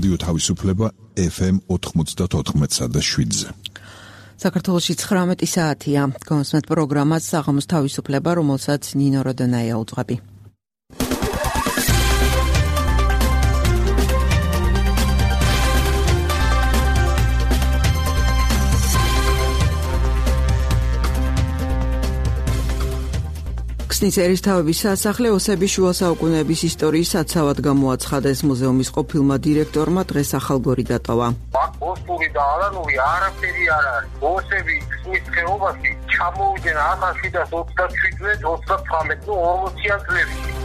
რადიო თავისუფლება FM 94.7-ზე. საქართველოში 19 საათია. გონსმეთ პროგრამას საღამოს თავისუფლება, რომელსაც ნინო როდონაია უძღვები. ქსნის ერისთავების სასახლე ოსების შუა საუკუნეების ისტორიის საცავად გამოაცხადეს. მუზეუმის ყოფილმა დირექტორმა დღეს ახალგორი დატოვა. ოსური და ალანური არაფერი არ არის. ოსები ქსნის ხეობაში ჩამოვიდნენ 1727-39 40-იან წლებში.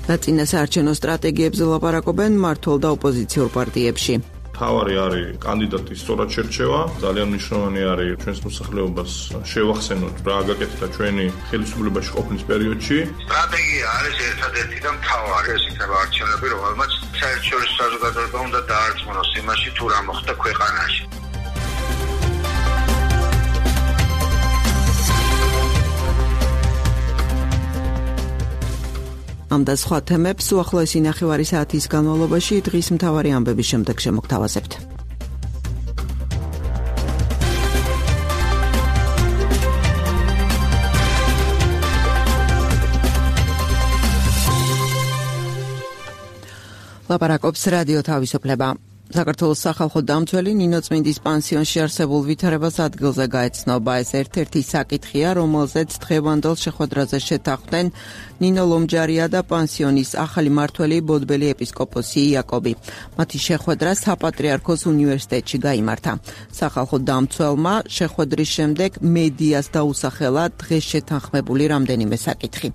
ნაწინა საარჩევნო სტრატეგიებზე ლაპარაკობენ მმართველ და ოპოზიციურ პარტიებში. თავარი არის კანდიდატის სწორად შერჩევა. ძალიან მნიშვნელოვანი არის ჩვენს მოსახლეობას შევახსენოთ რა გაკეთდა ჩვენი ხელისუფლებაში ყოფნის პერიოდში. სტრატეგია არის ერთადერთი და მთავარი. ეს იქნება არჩევნები, რომელმაც საერთაშორისო საზოგადოება უნდა დაარწმუნოს იმაში, თუ რა მოხდა ქვეყანაში. ამ და სხვა თემებს უახლოესი ნახევარი საათის განმავლობაში დღის მთავარი ამბების შემდეგ შემოგთავაზებთ. ლაპარაკობს რადიო თავისუფლება. საქართველოს სახალხო დამცველი ნინო წმინდის პანსიონში არსებულ ვითარებას ადგილზე გაეცნობა. ეს ერთ-ერთი საკითხია, რომელზეც დღევანდელ შეხვედრაზე შეთანხმდნენ ნინო ლომჯარია და პანსიონის ახალი მმართველი ბოდბელი ეპისკოპოსი იაკობი. მათი შეხვედრა საპატრიარქოს უნივერსიტეტში გაიმართა. სახალხო დამცველმა შეხვედრის შემდეგ მედიას დაუსახელა დღეს შეთანხმებული რამდენიმე საკითხი.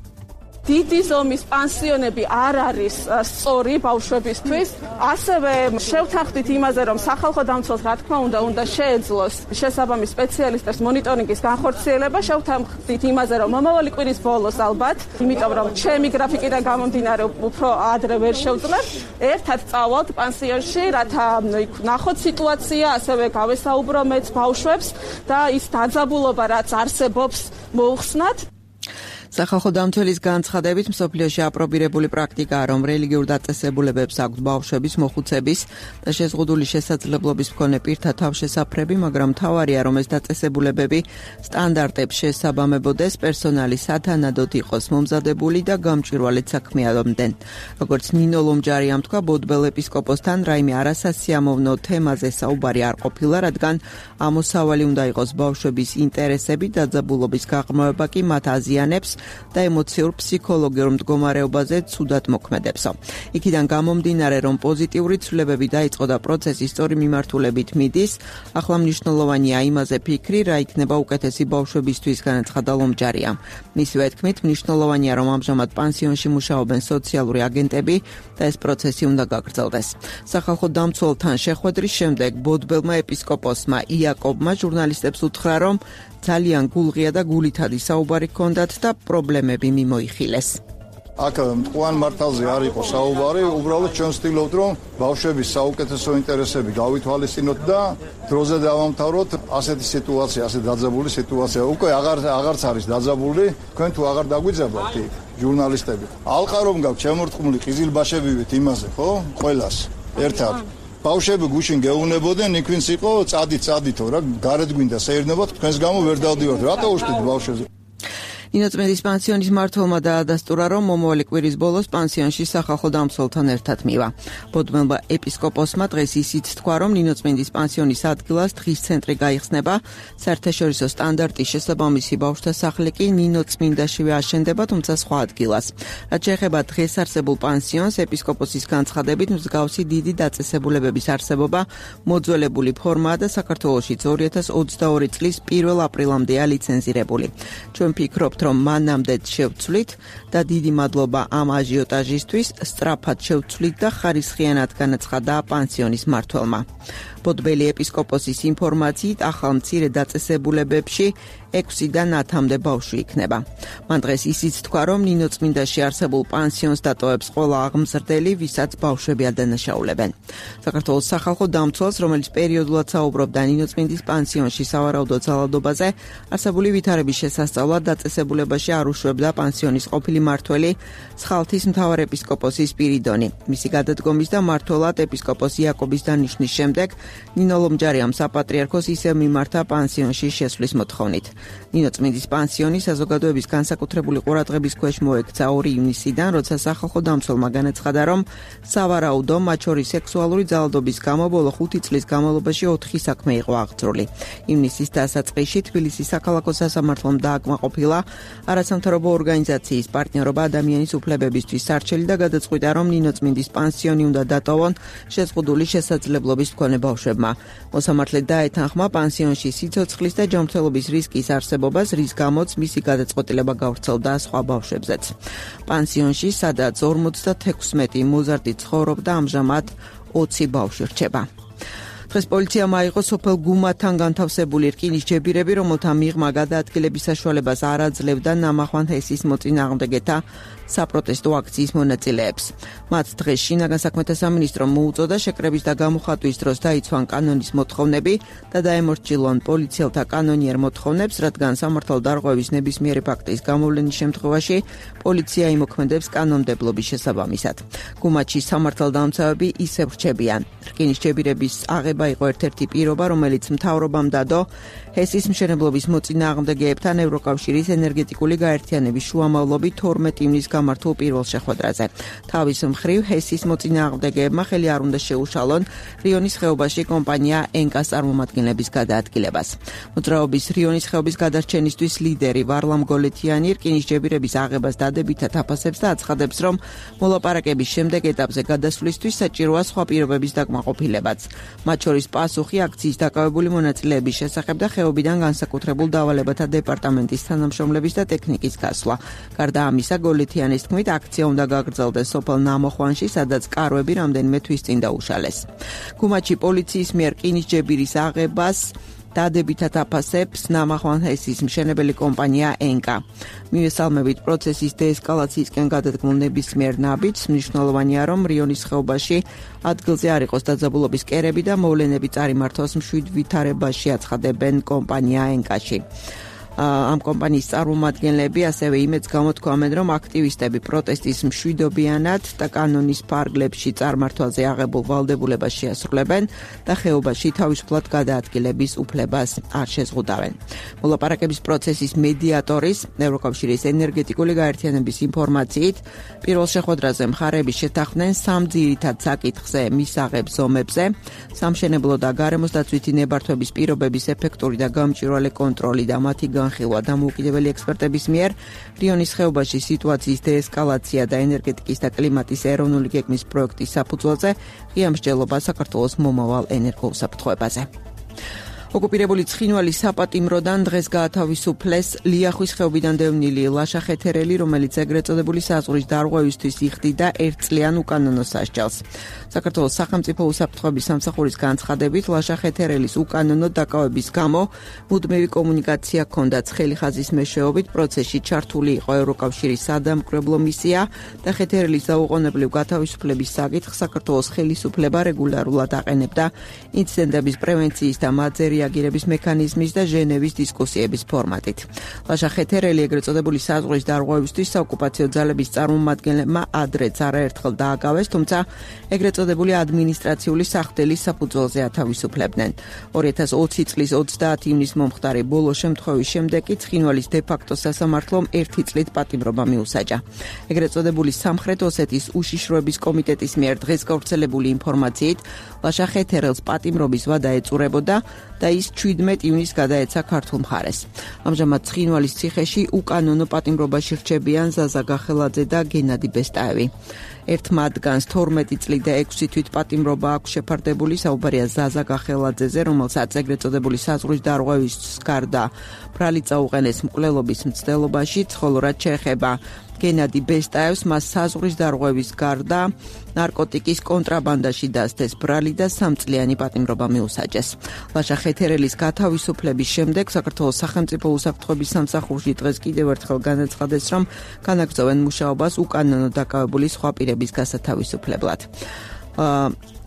დიდი ზომის პანსიონები არ არის სწორი ბავშვებისთვის. ასევე შევთანხმდით იმაზე, რომ სახალხო დამცველს რა თქმა უნდა შეეძლოს შესაბამის სპეციალისტებს მონიტორინგის განხორციელება. შევთანხმდით იმაზე, რომ მომავალი კვირის ბოლოს ალბათ, იმიტომ რომ ჩემი გრაფიკიდან გამომდინარე უფრო ადრე ვერ შევძლებ, ერთად წავალთ პანსიონში, რათა ნახოთ სიტუაცია, ასევე გავესაუბრო მეც ბავშვებს და ის დაძაბულობა, რაც არსებობს, მოუხსნათ. სახალხო დამცველის განცხადებით მსოფლიოში აპრობირებული პრაქტიკაა, რომ რელიგიურ დაწესებულებებს აქვთ ბავშვების მოხუცების და შეზღუდული შესაძლებლობის მქონე პირთა თავშესაფრები, მაგრამ მთავარია, რომ ეს დაწესებულებები სტანდარტებს შესაბამებოდეს, პერსონალი სათანადოდ იყოს მომზადებული და გამჭვირვალედ საქმიანობდნენ. როგორც ნინო ლომჯარიამ თქვა, ბოდბელ ეპისკოპოსთან რაიმე არასასიამოვნო თემაზე საუბარი არ ყოფილა, რადგან ამოსავალი უნდა იყოს ბავშვების ინტერესები, დაძაბულობის გაღრმავება კი მათ აზიანებს და ემოციურ ფსიქოლოგიურ მდგომარეობაზე ცუდად მოქმედებსო. იქიდან გამომდინარე, რომ პოზიტიური ცვლილებები დაიწყო და პროცესი სწორი მიმართულებით მიდის, ახლა მნიშვნელოვანია იმაზე ფიქრი, რა იქნება უკეთესი ბავშვებისთვის, განაცხადა ლომჯარიამ. მისივე თქმით, მნიშვნელოვანია, რომ ამჟამად პანსიონში მუშაობენ სოციალური აგენტები და ეს პროცესი უნდა გაგრძელდეს. სახალხო დამცველთან შეხვედრის შემდეგ ბოდბელმა ეპისკოპოსმა იაკობმა ჟურნალისტებს უთხრა, რომ ძალიან გულღია და გულითადი საუბარი ჰქონდათ და პრობლემები მიმოიხილეს. აქ მტყუან მართალზე არ იყო საუბარი, უბრალოდ ჩვენ ვცდილობთ, რომ ბავშვების საუკეთესო ინტერესები გავითვალისწინოთ და დროზე დავამთავროთ. ასეთი სიტუაცია, ასეთი დაძაბული სიტუაცია უკვე აღარც არის დაძაბული, თქვენ თუ აღარ დაგვიძაბავთ იქ ჟურნალისტები. ალყა რომ გაქვთ შემორტყმული ყიზილბაშები ვით იმაზე, ხო? ყველას ერთად. ბავშვები გუშინ გეუნებოდნენ, იქ ვინც იყო წადითო რა, გარეთ გვინდა საერთოდ თქვენს გამო ვერ დავდივართ. რატო უშტით ბავშვებზე? ნინო წმინდის პანსიონის მმართველმა დაადასტურა, რომ მომავალი კვირის ბოლოს პანსიონში სახალხო დამცველთან ერთად მივა. ბოდბელმა ეპისკოპოსმა დღეს ისიც თქვა, რომ ნინო წმინდის პანსიონის ადგილას დღის ცენტრი გაიხსნება. საერთაშორისო სტანდარტის შესაბამისი ბავშვთა სახლი კი ნინო წმინდაშივე აშენდება, თუმცა სხვა ადგილას. რაც შეეხება დღეს არსებულ პანსიონს, ეპისკოპოსის განცხადებით მსგავსი დიდი დაწესებულებების არსებობა მოძველებული ფორმაა და საქართველოშიც 2022 წლის 1 აპრილამდეა ლიცენზირებული. ჩვენ ვფიქრობთ, რომ მანამდე შევცვლით და დიდი მადლობა ამ აჟიოტაჟისთვის, სწრაფად შევცვლით და ხარისხიანად განაცხადა პანსიონის მმართველმა. ბოდბელი ეპისკოპოსის ინფორმაციით, ახალ მცირე დაწესებულებებში 6-დან 10-მდე ბავშვი იქნება. მან დღეს ისიც თქვა, რომ ნინოწმინდაში არსებულ პანსიონს დატოვებს ყველა აღმზრდელი, ვისაც ბავშვები ადანაშაულებენ. საქართველოს სახალხო დამცველს, რომელიც პერიოდულად საუბრობდა ნინოწმინდის პანსიონში სავარაუდო ძალადობაზე, არსებული ვითარების შესასწავლად დაწესებულებაში არ უშვებდა პანსიონის ყოფილი მმართველი სხალთის მთავარეპისკოპოსი სპირიდონი. მისი გადადგომის და მმართველად ეპისკოპოს იაკობის დანიშნის შემდეგ ნინო ლომჯარიამ საპატრიარქოს ისევ მიმართა პანსიონში შესვლის მოთხოვნით. ნინოწმინდის პანსიონი საზოგადოების განსაკუთრებული ყურადღების ქვეშ მოექცა 2 ივნისიდან, როცა სახალხო დამცველმა განაცხადა, რომ სავარაუდო მათ შორის სექსუალური ძალადობის გამო ბოლო 5 წლის განმავლობაში 4 საქმე იყო აღძრული. ივნისის დასაწყისში თბილისის საქალაქო სასამართლომ დააკმაყოფილა არასამთავრობო ორგანიზაციის პარტნიორობა ადამიანის უფლებებისთვის სარჩელი და გადაწყვიტა, რომ ნინოწმინდის პანსიონი უნდა დატოვონ შეზღუდული შესაძლებლობის მქონე ბავშვებმა. მოსამართლე დაეთანხმა პანსიონში სიცოცხლის და ჯანმრთელობის რისკის არსებობას, რის გამოც მისი გადაწყვეტილება გავრცელდა სხვა ბავშვებზეც. პანსიონში, სადაც 56 მოზარდი ცხოვრობდა, ამჟამად 20 ბავშვი რჩება. დღეს პოლიციამ აიღო სოფელ გუმათთან განთავსებული რკინისჯებირები, რომელთა მიღმა გადაადგილების საშუალებას არ აძლევდა ნამახვან ჰესის მოწინააღმდეგეთა საპროტესტო აქციის მონაწილეებს. მათ დღეს შინაგან საქმეთა სამინისტრომ მოუწოდა შეკრების და გამოხატვის დროს დაიცვან კანონის მოთხოვნები და დაემორჩილონ პოლიციელთა კანონიერ მოთხოვნებს, რადგან სამართალდარღვევის ნებისმიერი ფაქტის გამოვლენის შემთხვევაში პოლიცია იმოქმედებს კანონმდებლობის შესაბამისად. გუმათში სამართალდამცავები ისევ რჩებიან. რკინისჯებირების აღება იყო ერთ-ერთი პირობა, რომელიც მთავრობამ დადო ჰესის მშენებლობის მოწინააღმდეგეებთან ევროკავშირის ენერგეტიკული გაერთიანების შუამავლობით 12 ივნის გამართულ პირველ შეხვედრაზე. თავის მხრივ ჰესის მოწინააღმდეგეებმა ხელი არ უნდა შეუშალონ რიონის ხეობაში კომპანია ენკას წარმომადგენლების გადაადგილებას. მოძრაობის რიონის ხეობის გადარჩენისთვის ლიდერი ვარლამ გოლეთიანი რკინისჯებირების აღებას დადებითად აფასებს და აცხადებს, რომ მოლაპარაკების შემდეგ ეტაპზე გადასვლისთვის საჭიროა სხვა პირობების დაკმაყოფილებაც. მათ შორის პასუხი აქციის დაკავებული მონაწილეების შესახებ და ხეობიდან განსაკუთრებულ დავალებათა დეპარტამენტის თანამშრომლების და ტექნიკის გასვლა. გარდა ამისა, გოლეთიანის თქმით, აქცია უნდა გაგრძელდეს სოფელ ნამოხვანში, სადაც კარვები რამდენიმე თვის წინ დაუშალეს. გუმათში პოლიციის მიერ რკინისჯებირის აღებას დადებითად აფასებს ნამახვან ჰესის მშენებელი კომპანია ენკა. მივესალმებით პროცესის დეესკალაციისკენ გადადგმულ ნებისმიერ ნაბიჯს, მნიშვნელოვანია, რომ რიონის ხეობაში ადგილზე არ იყოს დაძაბულობის კერები და მოვლენები წარიმართოს მშვიდ ვითარებაში, აცხადებენ კომპანია ენკაში. ამ კომპანიის წარმომადგენლები ასევე იმედს გამოთქვამენ, რომ აქტივისტები პროტესტის მშვიდობიანად და კანონის ფარგლებში წარმართვაზე აღებულ ვალდებულებას შეასრულებენ და ხეობაში თავისუფლად გადაადგილების უფლებას არ შეზღუდავენ. მოლაპარაკების პროცესის მედიატორის, ევროკავშირის ენერგეტიკული გაერთიანების ინფორმაციით, პირველ შეხვედრაზე მხარეები შეთანხმდნენ 3 ძირითად საკითხზე: მისაღებ ზომებზე, სამშენებლო და გარემოს დაცვითი ნებართვების პირობების ეფექტური და გამჭვირვალე კონტროლი და მათი განხილვა დამოუკიდებელი ექსპერტების მიერ, რიონის ხეობაში სიტუაციის დეესკალაცია და ენერგეტიკის და კლიმატის ეროვნული გეგმის პროექტის საფუძველზე ღია მსჯელობა საქართველოს მომავალ ენერგოუსაფრთხოებაზე. ოკუპირებული ცხინვალის საპატიმროდან დღეს გაათავისუფლეს ლიახვის ხეობიდან დევნილი ლაშა ხეთერელი, რომელიც ეგრეთ წოდებული საზღვრის დარღვევისთვის იხდიდა 1 წლიან უკანონო სასჯელს. საქართველოს სახელმწიფო უსაფრთხოების სამსახურის განცხადებით, ლაშა ხეთერელის უკანონო დაკავების გამო მუდმივი კომუნიკაცია ჰქონდა ცხელი ხაზის მეშვეობით, პროცესში ჩართული იყო ევროკავშირის სადამკვირვებლო მისია და ხეთერელის დაუყოვნებლივ გათავისუფლების საკითხს საქართველოს ხელისუფლება რეგულარულად აყენებდა ინციდენტების პრევენციის და მათზე რეაგირების მექანიზმის და ჟენევის დისკუსიების ფორმატით. ლაშა ხეთერელი ეგრეთ წოდებული საზღვრის დარღვევისთვის საოკუპაციო ძალების წარმომადგენლებმა ადრეც არაერთხელ დააკავეს, თუმცა ეგრეთ წოდებული ადმინისტრაციული სახდელის საფუძველზე ათავისუფლებდნენ. 2020 წლის 30 ივნის მომხდარი ბოლო შემთხვევის შემდეგ კი ცხინვალის დე-ფაქტო სასამართლომ 1 წლით პატიმრობა მიუსაჯა. ეგრეთ წოდებული სამხრეთ ოსეთის უშიშროების კომიტეტის მიერ დღეს გავრცელებული ინფორმაციით, ლაშა ხეთერელს პატიმრობის ვადა ეწურებოდა და ის 17 ივნის გადაეცა ქართულ მხარეს. ამჟამად ცხინვალის ციხეში უკანონო პატიმრობაში რჩებიან ზაზა გახელაძე და გენადი ბესტაევი. ერთ მათგანს 12 წლი და 6 თვით პატიმრობა აქვს შეფარდებული, საუბარია ზაზა გახელაძეზე, რომელსაც ეგრეთ წოდებული საზღვრის დარღვევის გარდა ბრალი წაუყენეს მკვლელობის მცდელობაში, ხოლო რაც შეეხება გენადი ბესტაევს მას საზღვრის დარღვევის გარდა ნარკოტიკის კონტრაბანდაში დასდეს ბრალი და 3 წლიანი პატიმრობა მიუსაჯეს. ლაშა ხეთერელის გათავისუფლების შემდეგ საქართველოს სახელმწიფო უსაფრთხოების სამსახურში დღეს კიდევ ერთხელ განაცხადეს, რომ განაგრძობენ მუშაობას უკანონო დაკავებული სხვა პირების გასათავისუფლებლად.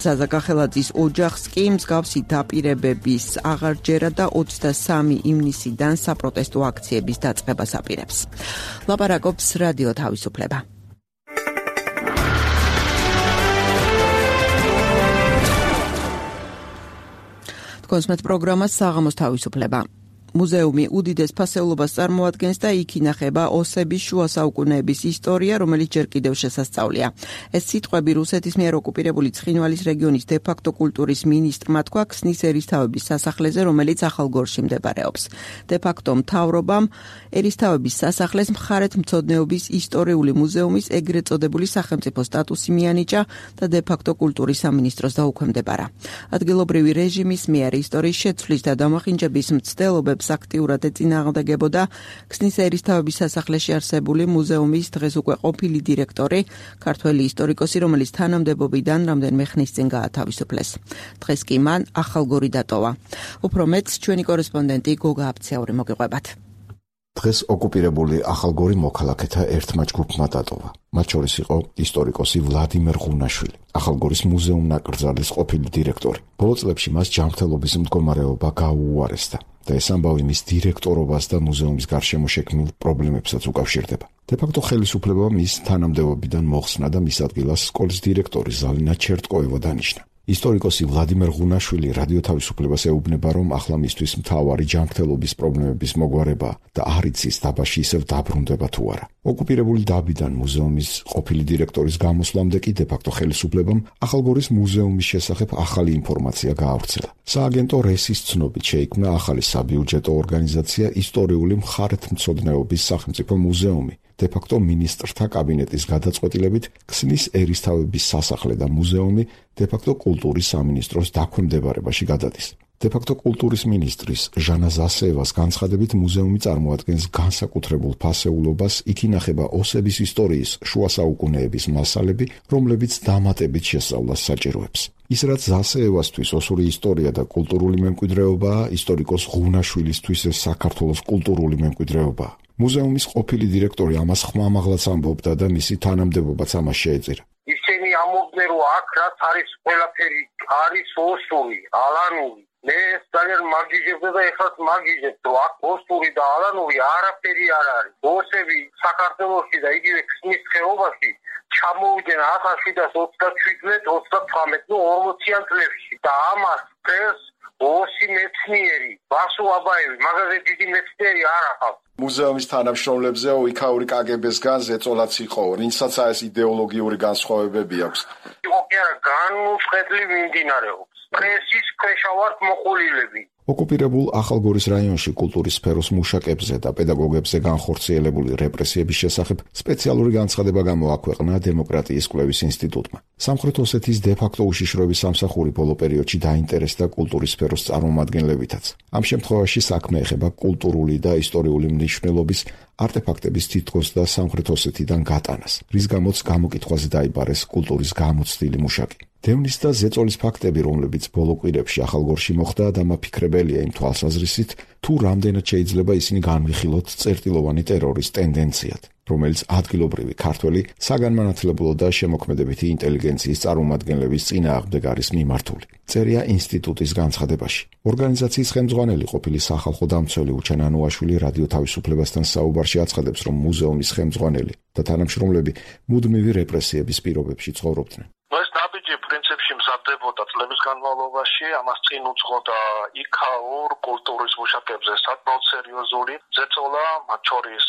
ზაზა კახელაძის ოჯახს კი მსგავსი დაპირებების აღარჯერა და 23 ივნისიდან საპროტესტო აქციების დაწყებას აპირებს. ლაპარაკობს რადიო თავისუფლება. თქვენს პროგრამას საღამოს თავისუფლება. მუზეუმი უდიდეს ფასეულობას წარმოადგენს და იქ ინახება ოსების შუა საუკუნეების ისტორია, რომელიც ჯერ კიდევ შესასწავლია. ეს სიტყვები რუსეთის მიერ ოკუპირებული ცხინვალის რეგიონის დე-ფაქტო კულტურის მინისტრმა თქვა ქსნის ერისთავების სასახლეზე, რომელიც ახალგორში მდებარეობს. დე-ფაქტო მთავრობამ ერისთავების სასახლეს მხარეთმცოდნეობის ისტორიული მუზეუმის ეგრეთ წოდებული სახელმწიფო სტატუსი მიანიჭა და დე-ფაქტო კულტურის სამინისტროს დაუქვემდებარა. ადგილობრივი რეჟიმის მიერ ისტორიის შეცვლის და დამახინჯების მცდელობებს აქტიურად ეწინააღმდეგებოდა ქსნის ერისთავების სასახლეში არსებული მუზეუმის დღეს უკვე ყოფილი დირექტორი, ქართველი ისტორიკოსი, რომელიც თანამდებობიდან რამდენიმე ხნის წინ გაათავისუფლეს. დღეს კი მან ახალგორი დატოვა. უფრო მეტს ჩვენი კორესპონდენტი გოგა აბცაური მოგიყვებათ. დღეს ოკუპირებული ახალგორი მოქალაქეთა ერთმა ჯგუფმა დატოვა. მათ შორის იყო ისტორიკოსი ვლადიმერ ღუნაშვილი, ახალგორის მუზეუმ ნაკრძალის ყოფილი დირექტორი. ბოლო წლებში მას ჯანმრთელობის მდგომარეობა გაუუარესდა და ეს ამბავი მის დირექტორობას და მუზეუმის გარშემო შექმნილ პრობლემებსაც უკავშირდება. დე-ფაქტო ხელისუფლებამ მის თანამდებობიდან მოხსნა და მის ადგილას სკოლის დირექტორი ზალინა ჩერტკოევა დანიშნა. ისტორიკოსი ვლადიმერ ღუნაშვილი რადიო თავისუფლებას ეუბნება, რომ ახლა მისთვის მთავარი ჯანმრთელობის პრობლემების მოგვარება და არ იცის დაბაში ისევ დაბრუნდება თუ არა. ოკუპირებული დაბიდან მუზეუმის ყოფილი დირექტორის გამოსვლამდე კი დე-ფაქტო ხელისუფლებამ ახალგორის მუზეუმის შესახებ ახალი ინფორმაცია გაავრცელა. სააგენტო რესის ცნობით შეიქმნა ახალი საბიუჯეტო ორგანიზაცია ისტორიული მხარეთმცოდნეობის სახელმწიფო მუზეუმი. დე-ფაქტო მინისტრთა კაბინეტის გადაწყვეტილებით ქსნის ერისთავების სასახლე და მუზეუმი დე-ფაქტო კულტურის სამინისტროს დაქვემდებარებაში გადადის. დე-ფაქტო კულტურის მინისტრის ჟანა ზასეევას განცხადებით მუზეუმი წარმოადგენს განსაკუთრებულ ფასეულობას, იქ ინახება ოსების ისტორიის შუა საუკუნეების მასალები, რომლებიც დამატებით შესწავლას საჭიროებს. ის რაც ზასეევასთვის ოსური ისტორია და კულტურული მემკვიდრეობაა, ისტორიკოს ღუნაშვილისთვის ეს საქართველოს კულტურული მემკვიდრეობაა. მუზეუმის ყოფილი დირექტორი ამას ხმამაღლაც ამბობდა და მისი თანამდებობაც ამას შეეწირა. ისინი ამბობდნენ, რომ აქ რაც არის ყველაფერი არის ოსური, ალანური. მე ძალიან მაგიჟებდა და ეხლაც მაგიჟებ, რომ აქ ოსური და ალანური არაფერი არ არის. ოსები საქართველოში და იგივე ქსნის ხეობაში ჩამოვიდნენ 1727-29 ნუ 40-იან წლებში და ამას დღეს ოსი მეცნიერი, ბასო აბაევი, მაგაზე დიდი მეცნიერი არ ახავს. მუზეუმის თანამშრომლებზე იქაური კგბ-სგან ზეწოლაც იყო, რინცაც ეს იდეოლოგიური განსხვავებები აქვს. იყო კი არა, განუწყვეტლი მიმდინარეობს. პრესის ქვეშ ვართ მოყოლილები. ოკუპირებულ ახალგორის რაიონში კულტურის სფეროს მუშაკებზე და პედაგოგებზე განხორციელებული რეპრესიების შესახებ სპეციალური განცხადება გამოაქვეყნა დემოკრატიის კვლევის ინსტიტუტმა. სამხრეთ ოსეთის დე-ფაქტო უშიშროების სამსახური ბოლო პერიოდში დაინტერესდა კულტურის სფეროს წარმომადგენლებითაც. ამ შემთხვევაში საქმე ეხება კულტურული და ისტორიული მნიშვნელობის არტეფაქტების თითქოს და სამხრეთ ოსეთიდან გატანას, რის გამოც გამოკითხვაზე დაიბარეს კულტურის გამოცდილი მუშაკი. დევნის და ზეწოლის ფაქტები, რომლებიც ბოლო კვირებში ახალგორში მოხდა, დამაფიქრებელია იმ თვალსაზრისით, თუ რამდენად შეიძლება ისინი განვიხილოთ წერტილოვანი ტერორის ტენდენციად, რომელიც ადგილობრივი ქართველი საგანმანათლებლო და შემოქმედებითი ინტელიგენციის წარმომადგენლების წინააღმდეგ არის მიმართული. წერია ინსტიტუტის განცხადებაში. ორგანიზაციის ხელმძღვანელი ყოფილი სახალხო დამცველი უჩან ანუაშვილი რადიო თავისუფლებასთან საუბარში აცხადებს, რომ მუზეუმის ხელმძღვანელი და თანამშრომლები მუდმივი რეპრესიების პირობებში ცხოვრობდნენ. ეს ნაბიჯი პრინციპში მზადდებოდა წლების განმავლობაში, ამას წინ უძღოდა იქაურ კულტურის მუშაკებზე საკმაოდ სერიოზული ზეწოლა, მათ შორის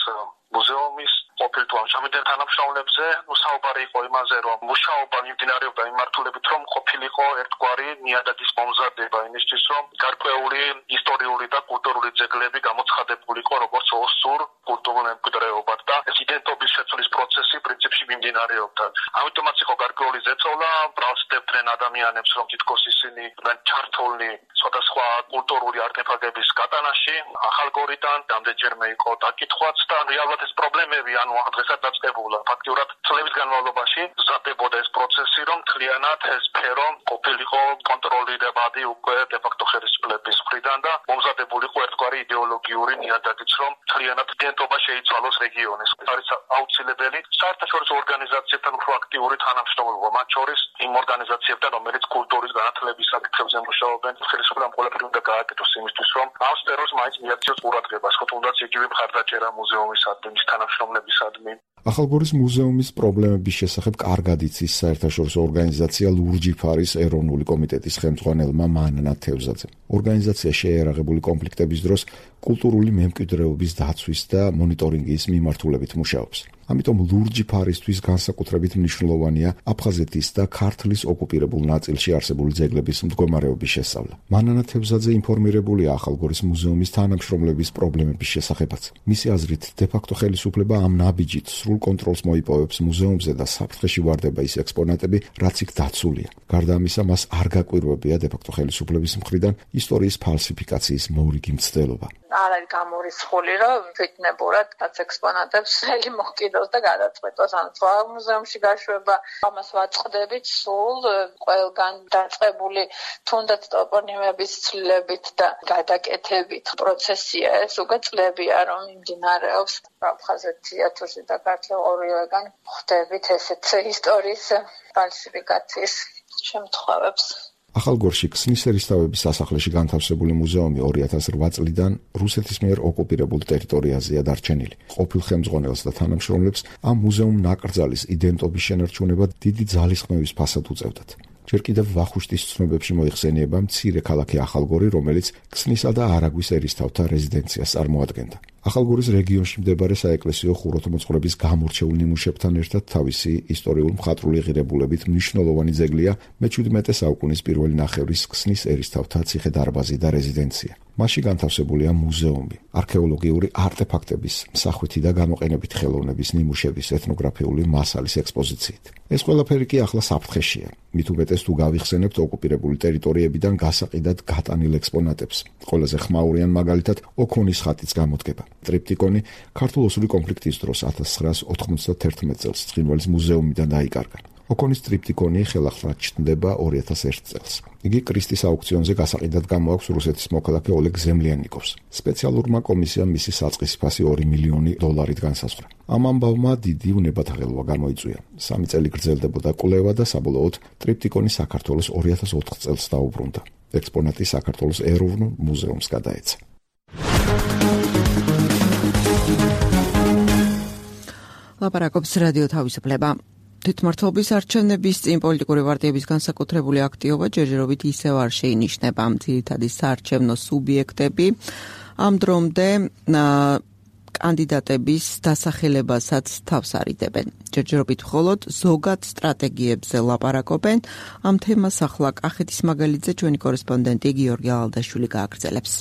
მუზეუმის ყოფილ თუ ამჟამინდელ თანამშრომლებზე. საუბარი იყო იმაზე, რომ მუშაობა მიმდინარეობდა მიმართულებით, რომ ყოფილიყო ერთგვარი ნიადაგის მომზადება იმისთვის, რომ გარკვეული ისტორიული და კულტურული ძეგლები გამოცხადებულიყო როგორც ოსურ კულტურულ მემკვიდრეობად და ეს იდენტობის შეცვლის პროცესი პრინციპში მიმდინარეობდა. ამიტომაც იყო გარკვეული ზეწოლა, ბრალსდებდნენ ადამიანებს, რომ თითქოს ისინი ჩართულნი სხვადასხვა კულტურული არტეფაქტების გატანაში, ახალგორიდან რამდენჯერმე იყო დაკითხვაც და რეალურად ეს პრობლემები დღესაც დაწყებულა. ფაქტიურად წლების განმავლობაში მზადდებოდა ეს პროცესი, რომ მთლიანად ეს სფერო ყოფილიყო კონტროლირებადი უკვე დე-ფაქტო ხელისუფლების მხრიდან და მომზადებულიყო ერთგვარი იდეოლოგიური ნიადაგიც, რომ მთლიანად იდენტობა შეიცვალოს რეგიონის. არის აუცილებელი საერთაშორისო ორგანიზაციებთან უფრო აქტიური თანამშრომლობა, მათ შორის იმ ორგანიზაციებთან, რომელიც კულტურის განათლების საკითხებზე მუშაობენ. ხელისუფლებამ ყველაფერი უნდა გააკეთოს იმისთვის, რომ ამ სფეროს მაინც მიაქციოს ყურადღებას, ხო თუნდაც იგივე მხარდაჭერა მუზეუმისადმი, თანამშრომლებისადმი. ახალგორის მუზეუმის პრობლემების შესახებ კარგად იცის საერთაშორისო ორგანიზაცია ლურჯი ფარის ეროვნული კომიტეტის ხელმძღვანელმა მანანა თევზაძემ. ორგანიზაცია შეერაღებული კონფლიქტების დროს კულტურული მემკვიდრეობის დაცვის და მონიტორინგის მიმართულებით მუშაობს. ამიტომ ლურჯი ფარისთვის განსაკუთრებით მნიშვნელოვანია აფხაზეთის და ქართლის ოკუპირებულ ნაწილში არსებული ძეგლების მდგომარეობის შესწავლა. მანანა თევზაძე ინფორმირებულია ახალგორის მუზეუმის თანამშრომლების პრობლემების შესახებაც. მისი აზრით, დე-ფაქტო ხელისუფლება ამ ნაბიჯით სრულ კონტროლს მოიპოვებს მუზეუმზე და საფრთხეში ვარდება ის ექსპონატები, რაც იქ დაცულია. გარდა ამისა, მას არ გაკვირვებია დე-ფაქტო ხელისუფლების მხრიდან ისტორიის ფალსიფიკაციის მორიგი მცდელობა. არ არის გამორიცხული, რომ ფიქნებურად რაც ექსპონატებს ხელი მოკიდოს და გადაწყვეტოს ან სხვა მუზეუმში გაშვება. ამას ვაწყდებით სულ ყველგან დაწყებული თუნდაც ტოპონიმების ცვლილებით და გადაკეთებით პროცესია ეს უკვე წლებია რომ მიმდინარეობს. აფხაზეთია თუ და ქართლი ორივეგან ხვდებით ესეთ ისტორიის ფალსიფიკაციის შემთხვევებს. ახალგორში ქსნის ერისთავების სასახლეში განთავსებული მუზეუმი 2008 წლიდან რუსეთის მიერ ოკუპირებულ ტერიტორიაზეა დარჩენილი. ყოფილ ხელმძღვანელს და თანამშრომლებს ამ მუზეუმ ნაკრძალის იდენტობის შენარჩუნება დიდი ძალისხმევის ფასად უწევდათ. ჯერ კიდევ ვახუშტის ცნობებში მოიხსენიება მცირე ქალაქი ახალგორი, რომელიც ქსნისა და არაგვის ერისთავთა რეზიდენციას წარმოადგენდა. ახალგორის რეგიონში მდებარე საეკლესიო ხუროთმოძღვრების გამორჩეულ ნიმუშებთან ერთად თავისი ისტორიულ-მხატვრული ღირებულებით მნიშვნელოვანი ძეგლია მე-17 საუკუნის პირველი ნახევრის ქსნის ერისთავთა ციხე-დარბაზი და რეზიდენცია. მასში განთავსებულია მუზეუმი, არქეოლოგიური არტეფაქტების, მსახვითი და გამოყენებით ხელოვნების ნიმუშების, ეთნოგრაფიული მასალის ექსპოზიციით. ეს ყველაფერი კი ახლა საფრთხეშია. მით უმეტეს თუ გავიხსენებთ ოკუპირებული ტერიტორიებიდან გასაყიდად გატანილ ექსპონატებს. ყველაზე ხმაურიან მაგალითად ოქონის ხატიც გამოდგება. ტრიპტიკონი ქართულ-ოსური კონფლიქტის დროს 1991 წელს ცხინვალის მუზეუმიდან დაიკარგა. ოქონის ტრიპტიკონი ხელახლა ჩნდება 2001 წელს. იგი კრისტის აუქციონზე გასაყიდად გამოაქვს რუსეთის მოქალაქე ოლეგ ზემლიანიკოვს. სპეციალურმა კომისიამ მისი საწყისი ფასი $2 მილიონი განსაზღვრა. ამ ამბავმა დიდი უნებათაღელვა გამოიწვია. 3 წელი გრძელდებოდა კვლევა და საბოლოოდ ტრიპტიკონი საქართველოს 2004 წელს დაუბრუნდა. ექსპონატი საქართველოს ეროვნულ მუზეუმს გადაეცა. ლაპარაკობს რადიო თავისუფლება. თვითმმართველობის არჩევნების წინ პოლიტიკური პარტიების განსაკუთრებული აქტივობა ჯერჯერობით ისევ არ შეინიშნება. ძირითადი საარჩევნო სუბიექტები ამ დრომდე კანდიდატების დასახელებასაც თავს არიდებენ. ჯერჯერობით მხოლოდ ზოგად სტრატეგიებზე ლაპარაკობენ. ამ თემას ახლა კახეთის მაგალითზე ჩვენი კორესპონდენტი გიორგი ალდაშვილი გააგრძელებს.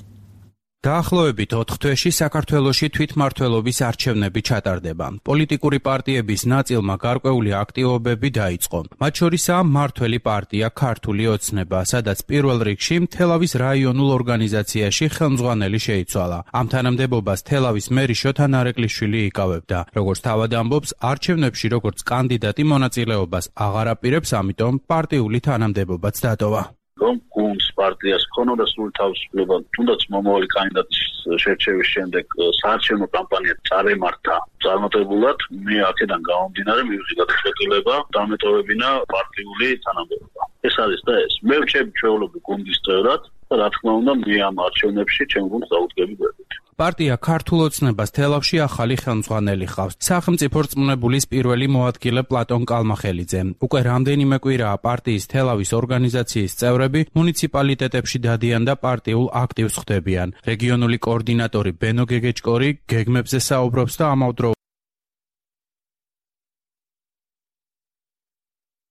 დაახლოებით 4 თვეში საქართველოში თვითმმართველობის არჩევნები ჩატარდება. პოლიტიკური პარტიების ნაწილმა გარკვეული აქტივობები დაიწყო. მათ შორისაა მმართველი პარტია ქართული ოცნება, სადაც პირველ რიგში თელავის რაიონულ ორგანიზაციაში ხელმძღვანელი შეიცვალა. ამ თანამდებობას თელავის მერი შოთა ნარეკვლიშვილი იკავებდა. როგორც თავად ამბობს, არჩევნებში როგორც კანდიდატი მონაწილეობას აღარ აპირებს, ამიტომ პარტიული თანამდებობაც დატოვა. რომ გუნდს პარტიას ქონოდა სრული თავისუფლება, თუნდაც მომავალი კანდიდატის შერჩევის შემდეგ საარჩევნო კამპანია წარემართა წარმატებულად, მე აქედან გამომდინარე მივიღე გადაწყვეტილება დამეტოვებინა პარტიული თანამდებობა. ეს არის და ეს. მე ვჩები ჩვეულებრივ გუნდის წევრად და რა თქმა უნდა, მე ამ არჩევნებში ჩემ გუნდს დავუდგები გვერდით. პარტია ქართულ ოცნებას თელავში ახალი ხელმძღვანელი ხავს. სახელმწიფო რწმუნებულის პირველი მოადგილე პლატონ კალმახელიძე. უკვე რამდენიმე კვირაა პარტიის თელავის ორგანიზაციის წევრები მუნიციპალიტეტებში დადიან და პარტიულ აქტივს ხდებიან. რეგიონული კოორდინატორი ბენო გეგეჭკორი გეგმებზე საუბრობს და ამავდროულად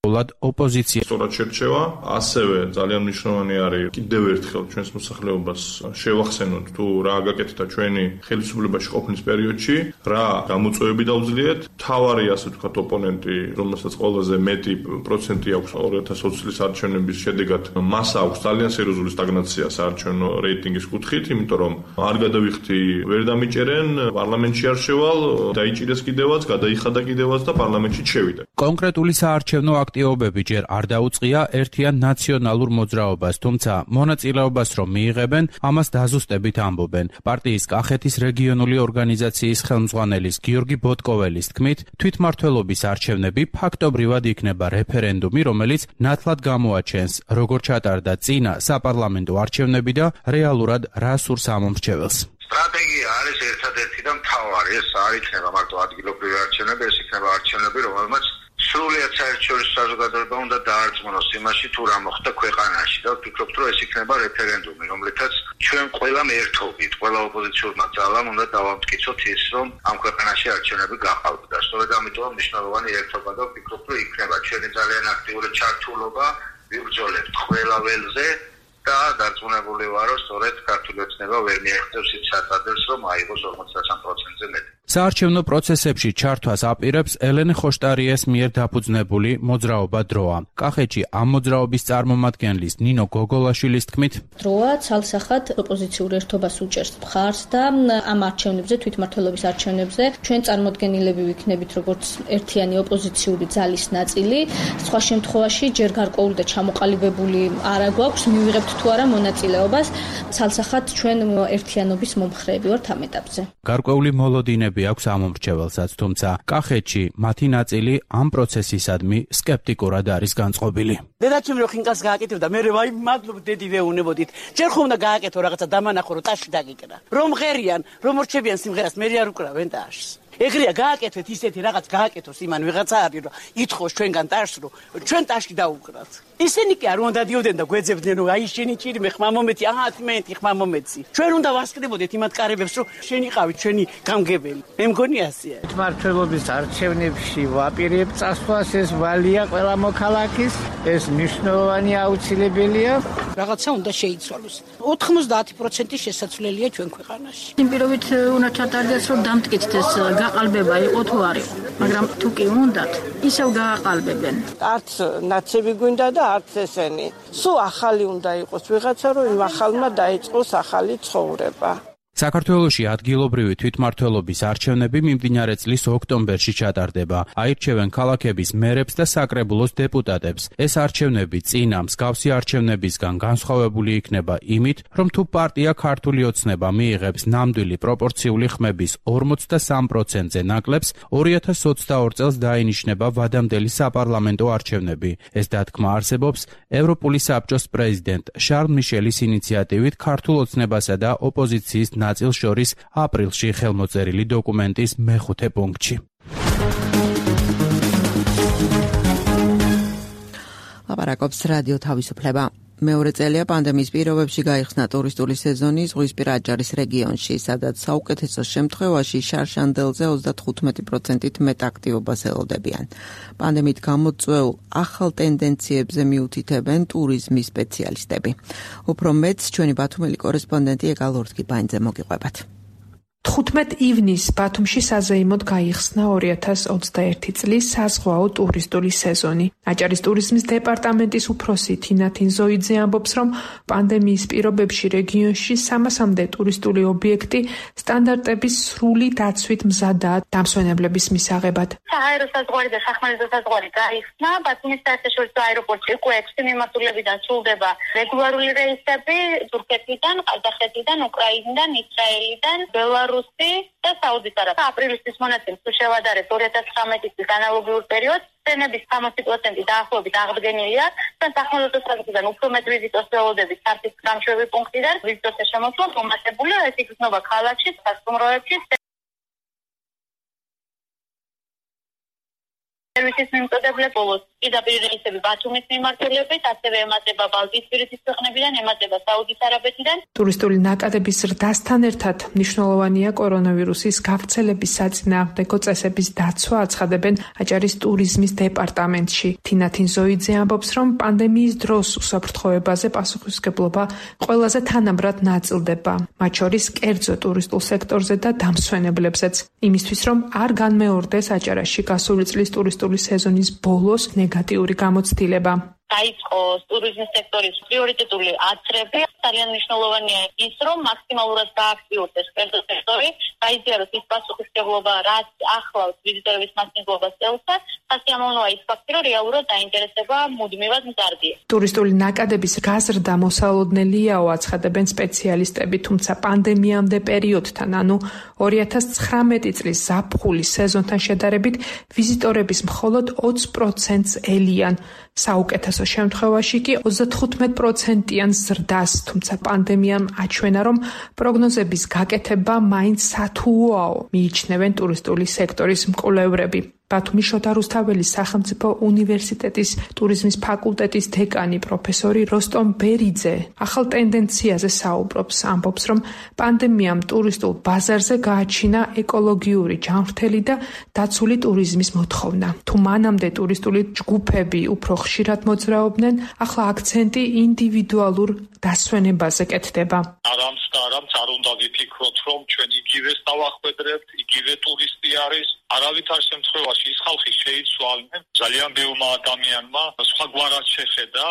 ოპოზიცია. სწორად შერჩევა, ასევე ძალიან მნიშვნელოვანი არის კიდევ ერთხელ ჩვენს მოსახლეობას შევახსენოთ თუ რა გაკეთდა ჩვენი ხელისუფლებაში ყოფნის პერიოდში, რა გამოწვევები დავძლიეთ. თავარი ასე ვთქვათ ოპონენტი, რომელსაც ყველაზე მეტი პროცენტი აქვს 2020 წლის არჩევნების შედეგად, მას აქვს ძალიან სერიოზული სტაგნაცია საარჩევნო რეიტინგის კუთხით, იმიტომ რომ არ გადავიხდი, ვერ დამიჭერენ, პარლამენტში არ შევალ, დაიჭირეს კიდევაც, გადაიხადა კიდევაც და პარლამენტში შევიდა. კონკრეტული საარჩევნო აქტივობები ჯერ არ დაუწყია ერთიან ნაციონალურ მოძრაობას, თუმცა მონაწილეობას რომ მიიღებენ, ამას დაზუსტებით ამბობენ. პარტიის კახეთის რეგიონული ორგანიზაციის ხელმძღვანელის გიორგი ბოტკოველის თქმით, თვითმმართველობის არჩევნები ფაქტობრივად იქნება რეფერენდუმი, რომელიც ნათლად გამოაჩენს, როგორ ჩატარდა წინა საპარლამენტო არჩევნები და რეალურად რა სურს ამომრჩეველს. სტრატეგია არის ერთადერთი და მთავარი, ეს არ იქნება მარტო ადგილობრივი არჩევნები, ეს იქნება არჩევნები, რომელმაც სრულიად საერთაშორისო საზოგადოება უნდა დაარწმუნოს იმაში, თუ რა მოხდა ქვეყანაში და ვფიქრობთ, რომ ეს იქნება რეფერენდუმი, რომლითაც ჩვენ ყველამ ერთობით, ყველა ოპოზიციურმა ძალამ უნდა დავამტკიცოთ ის, რომ ამ ქვეყანაში არჩევნები გაყალბდა. სწორედ ამიტომ მნიშვნელოვანი ერთობა და ვფიქრობთ, რომ იქნება ჩვენი ძალიან აქტიური ჩართულობა, ვიბრძოლებთ ყველა ველზე და დარწმუნებული ვარ, რომ სწორედ ქართული ოცნება ვერ მიაღწევს იმ საწადებს, რომ აიღოს 53%-ზე მეტი. საარჩევნო პროცესებში ჩართვას აპირებს ელენე ხოშტარიეს მიერ დაფუძნებული მოძრაობა დროა. კახეთში ამ მოძრაობის წარმომადგენლის ნინო გოგოლაშვილის თქმით, დროა ცალსახად ოპოზიციურ ერთობას უჭერს მხარს და ამ არჩევნებზე, თვითმმართველობის არჩევნებზე ჩვენ წარმოდგენილები ვიქნებით როგორც ერთიანი ოპოზიციური ძალის ნაწილი. სხვა შემთხვევაში ჯერ გარკვეული და ჩამოყალიბებული არ გვაქვს, მივიღებთ თუ არა მონაწილეობას, ცალსახად ჩვენ ერთიანობის მომხრეები ვართ ამ ეტაპზე. გარკვეული მოლოდინები აქვს ამომრჩეველსაც, თუმცა კახეთში მათი ნაწილი ამ პროცესისადმი სკეპტიკურად არის განწყობილი. დედაჩემ რო ხინკალს გააკეთებდა, მე ვაი მადლობ დედი ვეუნებოდით. ჯერ ხომ უნდა გააკეთო რაღაცა დამანახო რომ ტაში დაგიკრა. რომ ღერიან, რომ რჩებიან სიმღერას, მე არ უკრავენ ტაშს. ეგრეა გააკეთეთ ისეთი რაღაც გააკეთოს იმან ვიღაცა არის რომ ითხოვს ჩვენგან ტაშს რომ ჩვენ ტაში დაუკრათ. ისინი კი არ უნდა დიოდნენ და გვეძებდნენ რომ აი შენი ჭირი მე ხმა მომეცი, აჰა თმენეთი ხმა მომეცი. ჩვენ უნდა ვასკდებოდეთ იმათ კარებებს რომ შენი ყავით ჩვენი გამგებელი. მე მგონი ასეა. თვითმმართველობის არჩევნებში ვაპირებ წასვლას, ეს ვალია ყველა მოქალაქის, ეს მნიშვნელოვანი აუცილებელია. რაღაცა უნდა შეიცვალოს. 90% შესაძლებელია ჩვენ ქვეყანაში. იმ პირობით უნდა ჩატარდეს რომ დამტკიცდეს გაყალბება იყო თუ არ იყო, მაგრამ თუ კი უნდათ, ისევ გააყალბებენ. არც ნაცები გვინდა და არც ესენი. სულ ახალი უნდა იყოს ვიღაცა, რომ იმ ახალმა დაიწყოს ახალი ცხოვრება. საქართველოში ადგილობრივი თვითმმართველობის არჩევნები მიმდინარე წლის ოქტომბერში ჩატარდება. აირჩევენ ქალაქების მერებს და საკრებულოს დეპუტატებს. ეს არჩევნები წინა მსგავსი არჩევნებისგან განსხვავებული იქნება იმით, რომ თუ პარტია ქართული ოცნება მიიღებს ნამდვილი პროპორციული ხმების 43%-ზე ნაკლებს, 2022 წელს დაინიშნება ვადამდელი საპარლამენტო არჩევნები. ეს დათქმა არსებობს ევროპული საბჭოს პრეზიდენტ შარლ მიშელის ინიციატივით ქართულ ოცნებასა და ოპოზიციის ნაწილს შორის აპრილში ხელმოწერილი დოკუმენტის მეხუთე პუნქტში. ლაპარაკობს რადიო თავისუფლება. მეორე წელია პანდემიის პირობებში გაიხსნა ტურისტული სეზონი ზღვისპირა აჭარის რეგიონში, სადაც საუკეთესო შემთხვევაში შარშანდელზე 35%-ით მეტ აქტივობას ელოდებიან. პანდემიით გამოწვეულ ახალ ტენდენციებზე მიუთითებენ ტურიზმის სპეციალისტები. უფრო მეტს ჩვენი ბათუმელი კორესპონდენტი ეკალორთკი ბაინძე მოგიყვებათ. 15 ივნისს ბათუმში საზეიმოდ გაიხსნა 2021 წლის საზღვაო ტურისტული სეზონი. აჭარის ტურიზმის დეპარტამენტის უფროსი თინათინ ზოიძე ამბობს, რომ პანდემიის პირობებში რეგიონში 300-მდე ტურისტული ობიექტი სტანდარტების სრული დაცვით მზადაა დამსვენებლების მისაღებად. სააერო საზღვარი და სახმელეთო საზღვარი გაიხსნა. ბათუმის საერთაშორისო აეროპორტში უკვე 6 მიმართულებიდან სრულდება რეგულარული რეისები თურქეთიდან, ყაზახეთიდან, უკრაინიდან, ისრაელიდან, ბელარუსი და საუდის არაბეთიდან. აპრილისთვის მონაცემს თუ შევადარებთ 2019 წლის ანალოგიურ პერიოდს, ტრენების 60% დაახლოებით აღდგენილია და სახმელეთო საზღვრიდან უფრო მეტ ვიზიტოს ველოდებით სარფის გამშვები პუნქტიდან ვიზიტოსთა შემოსვლა მომატებულია. ეს იქნება ქალაქში, სასტუმროებში, სერვისის მიმწოდებლებს ბოლოს პირდაპირ რეისები ბათუმის მიმართულებით, ასევე ემატება ბალტიისპირეთის ქვეყნებიდან, ემატება საუდის არაბეთიდან. ტურისტული ნაკადების ზრდასთან ერთად მნიშვნელოვანია კორონავირუსის გავრცელების საწინააღმდეგო წესების დაცვა, აცხადებენ აჭარის ტურიზმის დეპარტამენტში. თინათინ ზოიძე ამბობს, რომ პანდემიის დროს უსაფრთხოებაზე პასუხისმგებლობა ყველაზე თანაბრად ნაწილდება, მათ შორის კერძო ტურისტულ სექტორზე და დამსვენებლებზეც. იმისთვის, რომ არ განმეორდეს აჭარაში გასული წლის ტურისტული სეზონის ბოლოს ნეგატიური გამოცდილება. დაიწყო ტურიზმის სექტორის პრიორიტეტული აცრები. ძალიან მნიშვნელოვანია ის, რომ მაქსიმალურად გააქტიურდეს კერძო სექტორი, გაიზიაროს ის პასუხისმგებლობა, რაც ახლავს ვიზიტორების მასპინძლობას წელსა. სასიამოვნოა ის ფაქტი, რომ რეალურად დაინტერესება მუდმივად მზარდია. ტურისტული ნაკადების გაზრდა მოსალოდნელიაო, აცხადებენ სპეციალისტები, თუმცა პანდემიამდე პერიოდთან, ანუ 2019 წლის ზაფხულის სეზონთან შედარებით, ვიზიტორების მხოლოდ 20%-ს ელიან. საუკეთესო შემთხვევაში კი 35%-იან ზრდას, თუმცა პანდემიამ აჩვენა, რომ პროგნოზების გაკეთება მაინც სათუოაო, მიიჩნევენ ტურისტული სექტორის მკვლევრები. ბათუმის შოთა რუსთაველის სახელმწიფო უნივერსიტეტის ტურიზმის ფაკულტეტის დეკანი პროფესორი როსტომ ბერიძე ახალ ტენდენციაზე საუბრობს, ამბობს, რომ პანდემიამ ტურისტულ ბაზარზე გააჩინა ეკოლოგიური ჯანმრთელი და დაცული ტურიზმის მოთხოვნა. თუ მანამდე ტურისტული ჯგუფები უფრო ხშირად მოძრაობდნენ, ახლა აქცენტი ინდივიდუალურ დასვენებაზე კეთდება. არამც არ უნდა ვიფიქროთ, რომ ჩვენ იგივეს დავახვედრებთ, იგივე ტურისტი არის, არავითარ შემთხვევაში ის ხალხი შეიცვალნენ. ძალიან ბევრმა ადამიანმა სხვაგვარად შეხედა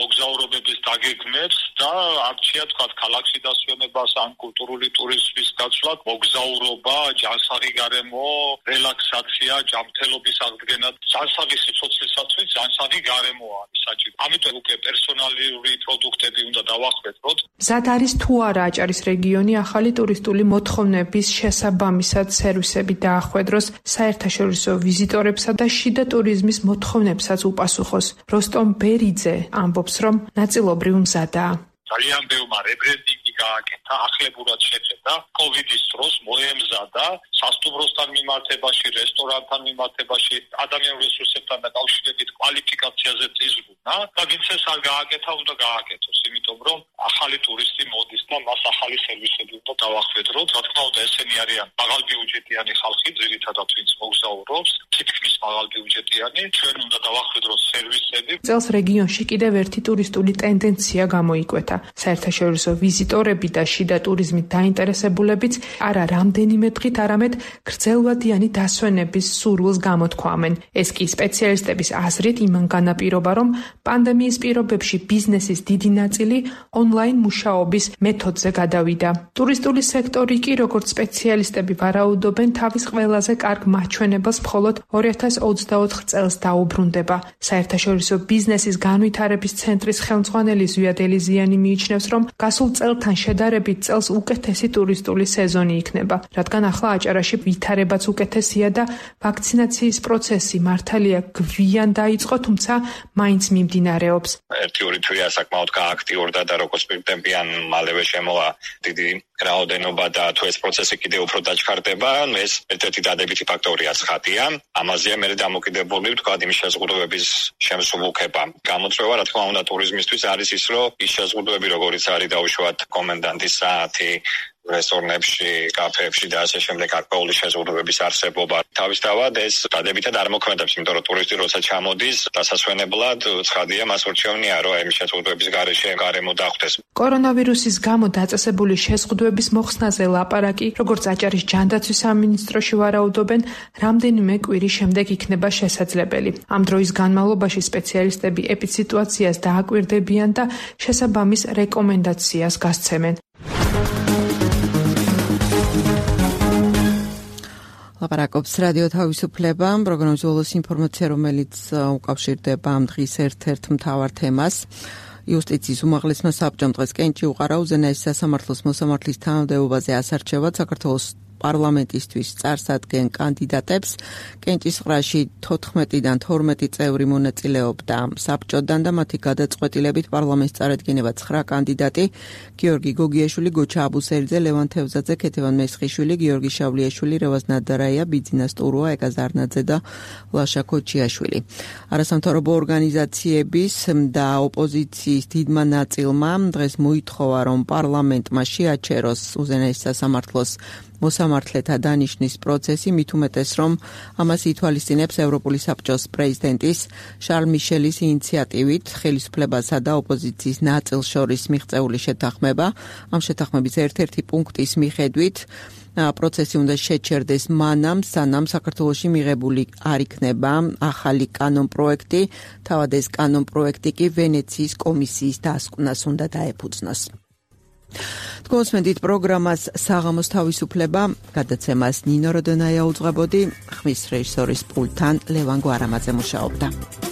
მოგზაურობების დაგეგმებს და არჩია თქვა ქალაქში დასვენებას ან კულტურული ტურიზმის გაცვლად, მოგზაურობა, ჯანსაღი გარემო, რელაქსაცია, ჯანმრთელობის აღდგენა, ჯანსაღი სიცოცხლისათვის ჯანსაღი გარემო არის საჭირო. ამიტომ უკვე პერსონალური პროდუქტები უნდა დავახვედროთ. მზად არის თუ არა აჭარის რეგიონი ახალი ტურისტული მოთხოვნების შესაბამისად სერვისები დაახვედროს საერთაშორისო ვიზიტორებსა და შიდა ტურიზმის მოთხოვნებსაც უპასუხოს. როსტომ ბერიძე ამბობს, რომ ნაწილობრივ მზადაა. ძალიან ბევრმა რებრენდინგი გააკეთა, ახლებურად შეხედა, კოვიდის დროს მოემზადა სასტუმროსთან მიმართებაში, რესტორანთან მიმართებაში, ადამიანურ რესურსებთან დაკავშირებით კვალიფიკაციაზე ზრუნვა და ვინც ეს არ გააკეთა, უნდა გააკეთოს, იმიტომ რომ ახალი ტურისტი მოდის და მას ახალი სერვისები უნდა დავახვედროთ. რა თქმა უნდა, ესენი არიან მაღალბიუჯეტიანი ხალხი, ძირითადად ვინც მოგზაურობს, თითქმის მაღალბიუჯეტიანი, ჩვენ უნდა დავახვედროთ სერვისები. წელს რეგიონში კიდევ ერთი ტურისტული ტენდენცია გამოიკვეთა. საერთაშორისო ვიზიტორები და შიდა ტურიზმით დაინტერესებულებიც არა რამდენიმე დღით, არამედ გრძელვადიანი დასვენების სურვილს გამოთქვამენ. ეს კი სპეციალისტების აზრით იმან განაპირობა, რომ პანდემიის პირობებში ბიზნესის დიდი ნაწილი ონლაინ მუშაობის მეთოდზე გადავიდა. ტურისტული სექტორი კი, როგორც სპეციალისტები ვარაუდობენ, თავის ყველაზე კარგ მაჩვენებელს მხოლოდ 2024 წელს დაუბრუნდება. საერთაშორისო ბიზნესის განვითარების ცენტრის ხელმძღვანელი ზვიად ელიზიანი მიიჩნევს, რომ გასულ წელთან შედარებით წელს უკეთესი ტურისტული სეზონი იქნება, რადგან ახლა აჭარაში ვითარებაც უკეთესია და ვაქცინაციის პროცესი მართალია გვიან დაიწყო, თუმცა მაინც მიმდინარეობს. ერთი-ორი თვეა საკმაოდ გააქტიურდა და როგორც პირდებიან, მალევე შემოვა დიდი რაოდენობა და თუ ეს პროცესი კიდევ უფრო დაჩქარდება, ეს ერთ-ერთი დადებითი ფაქტორია ცხადია. ამაზეა მე დამოკიდებული ვთქვა იმის შეზღუდვების შემსუბუქება. გამოწვევა, რა თქმა უნდა, ტურიზმისთვის არის ის, რომ ის შეზღუდვები, როგორიც არის დაუშვათ კომენდანტის საათი, რესტორნებში, კაფეებში და ასე შემდეგ აქტუალური შეზღუდვების არსებობა. თავისთავად ეს დადებითად არ მოქმედებს, იმიტომ რომ ტურისტი როცა ჩამოდის, დასასვენებლად ცხადია მას ურჩევნია, რომ ამ შეზღუდვების გარეშე გარემო დახვდეს. კორონავირუსის გამო დაწესებული შეზღუდვების მოხსნაზე ლაპარაკი, როგორც აჭარის ჯანდაცვის სამინისტროში ვარაუდობენ, რამდენიმე კვირის შემდეგ იქნება შესაძლებელი. ამ დროის განმავლობაში სპეციალისტები ეპიდსიტუაციას დააკვირდებიან და შესაბამის რეკომენდაციას გასცემენ. ლაპარაკობს რადიო თავისუფლება, პროგრამის ბოლოს ინფორმაცია, რომელიც უკავშირდება ამ დღის ერთ-ერთ მთავარ თემას. იუსტიციის უმაღლესმა საბჭომ დღეს კენჭი უყარა უზენაესი სასამართლოს მოსამართლის თანამდებობაზე ასარჩევად საქართველოს პარლამენტისთვის წარსადგენ კანდიდატებს. კენჭისყრაში 14-დან 12 წევრი მონაწილეობდა საბჭოდან და მათი გადაწყვეტილებით პარლამენტს წარადგინება 9 კანდიდატი: გიორგი გოგიაშვილი, გოჩა აბუსელიძე, ლევან თევზაძე, ქეთევან მესხიშვილი, გიორგი შავლიაშვილი, რევაზ ნადარაია, ბიძინა სტურუა, ეკა ზარნაძე და ლაშა ქოჩიაშვილი. არასამთავრობო ორგანიზაციების და ოპოზიციის დიდმა ნაწილმა დღეს მოითხოვა, რომ პარლამენტმა შეაჩეროს უზენაეს სასამართლოს მოსამართლეთა დანიშნის პროცესი, მით უმეტეს, რომ ამას ითვალისწინებს ევროპული საბჭოს პრეზიდენტის შარლ მიშელის ინიციატივით ხელისუფლებასა და ოპოზიციის ნაწილს შორის მიღწეული შეთანხმება. ამ შეთანხმების ერთ-ერთი პუნქტის მიხედვით პროცესი უნდა შეჩერდეს მანამ, სანამ საქართველოში მიღებული არ იქნება ახალი კანონპროექტი. თავად ეს კანონპროექტი კი ვენეციის კომისიის დასკვნას უნდა დაეფუძნოს. თქვენსმენდით პროგრამას საღამოს თავისუფლება, გადაცემას ნინო როდონაია უძღვებოდი, ხმის რეჟისორის პულტთან ლევან გვარამაძე მუშაობდა.